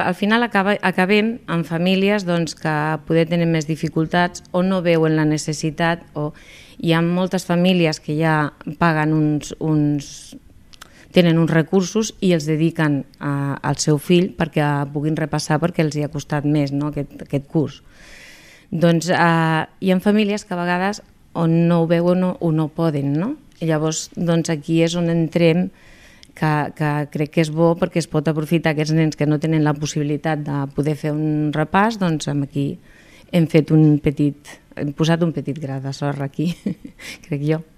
Al final acabem amb famílies que poder tenen més dificultats o no veuen la necessitat, o hi ha moltes famílies que ja paguen tenen uns recursos i els dediquen al seu fill perquè puguin repassar, perquè els hi ha costat més, no, aquest curs. Doncs hi ha famílies que a vegades on no ho veuen o no poden, no? I llavors aquí és on entrem, que crec que és bo perquè es pot aprofitar aquests nens que no tenen la possibilitat de poder fer un repàs, doncs aquí hem posat un petit gra de sorra aquí, crec jo.